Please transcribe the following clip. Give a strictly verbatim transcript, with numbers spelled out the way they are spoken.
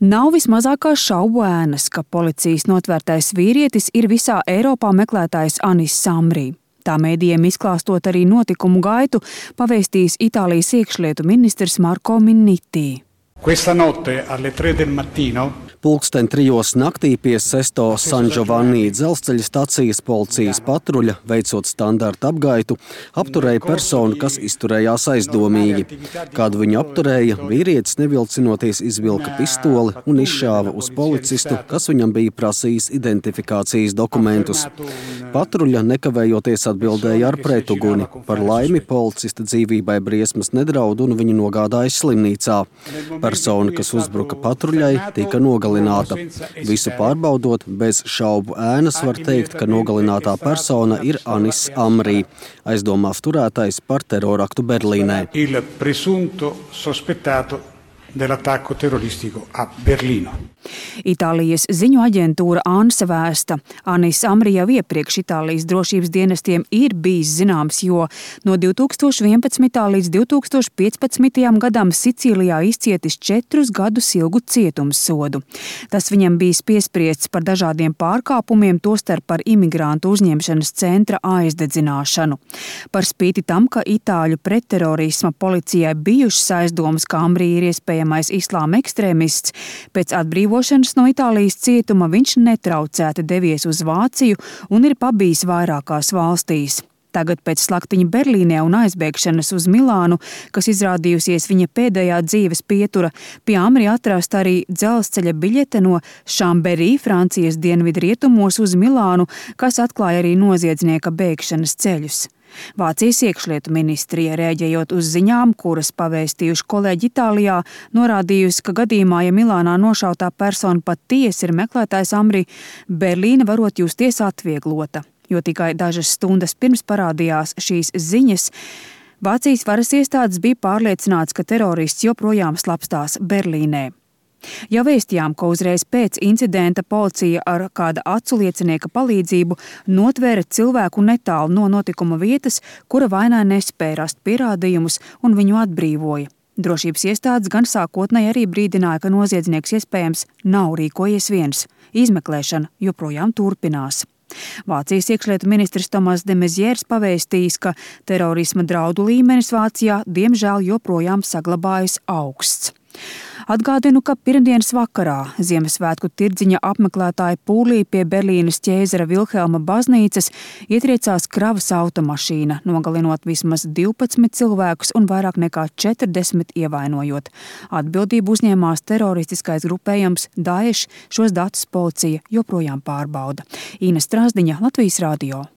Nav vismazākās šaubu ēnas, ka policijas notvērtais vīrietis ir visā Eiropā meklētājs Anis Amri. Tā mēdījiem izklāstot arī notikumu gaitu, pavēstījis Itālijas iekšlietu ministrs Marco Minniti. Questa notte alle tre del mattino Pulksten trijos naktī pie Sesto San Giovanni dzelzceļa stacijas policijas patruļa, veicot standarta apgaitu, apturēja personu, kas izturējās aizdomīgi. Kādu viņu apturēja, vīrietis nevilcinoties izvilka pistoli un izšāva uz policistu, kas viņam bija prasījis identifikācijas dokumentus. Patruļa nekavējoties atbildēja ar pretuguni. Par laimi policista dzīvībai briesmas nedraud un viņu nogādāja slimnīcā. Persona, kas uzbruka patruļai, tika nogalināta. Visu pārbaudot, bez šaubu ēnas var teikt, ka nogalinātā persona ir Anis Amri, aizdomās turētais par teroraktu Berlīnē. Il presunto sospettato dell'attacco terroristico a Berlino. Itālijas ziņu aģentūra ANSA vēsta, Anis Amri jau iepriekš Itālijas drošības dienestiem ir bijis zināms, jo no divi tūkstoši vienpadsmitā līdz divi tūkstoši piecpadsmitajam gadam Sicīlijā izcietis četrus gadus ilgu cietumssodu. Tas viņam bija piespriests par dažādiem pārkāpumiem, tostarp par imigrantu uzņemšanas centra aizdedzināšanu. Par spīti tam, ka itāļu pretterorisma policijai bijušas aizdomas, ka Amri ir iespējamais islāma ekstrēmists, pēc atbrīvošanas no Itālijas cietuma viņš netraucēti devies uz Vāciju un ir pabijis vairākās valstīs. Tagad pēc slaktiņa Berlīnē un aizbēgšanas uz Milānu, kas izrādījusies viņa pēdējā dzīves pietura, pie Amri atrast arī dzelzceļa biļete no Chambéry, Francijas dienvidrietumos uz Milānu, kas atklāja arī noziedznieka bēgšanas ceļus. Vācijas iekšlietu ministrija, rēģējot uz ziņām, kuras pavēstījuši kolēģi Itālijā, norādījusi, ka gadījumā, ja Milānā nošautā persona patiesi ir meklētājs Amri, Berlīne varot justies atvieglota, jo tikai dažas stundas pirms parādījās šīs ziņas, Vācijas varas iestādes bija pārliecināts, ka terorists joprojām slapstās Berlīnē. Jau vēstījām, ka uzreiz pēc incidenta policija ar kāda acu liecinieka palīdzību notvēra cilvēku netālu no notikuma vietas, kura vainai nespēja rast pierādījumus un viņu atbrīvoja. Drošības iestādes gan sākotnēji arī brīdināja, ka noziedznieks iespējams nav rīkojies viens. Izmeklēšana joprojām turpinās. Vācijas iekšlietu ministrs Tomas de Maizières pavēstījis, ka terorisma draudu līmenis Vācijā diemžēl joprojām saglabājas augsts. Atgādinu, ka pirmdienas vakarā Ziemassvētku tirdziņa apmeklētāju pūlī pie Berlīnes ķēzara Vilhelma baznīcas ietriecās kravas automašīna, nogalinot vismaz divpadsmit cilvēkus un vairāk nekā četrdesmit ievainojot. Atbildību uzņēmās teroristiskais grupējums Daesh, šos datus policija joprojām pārbauda. Ina Strasdiņa, Latvijas radio.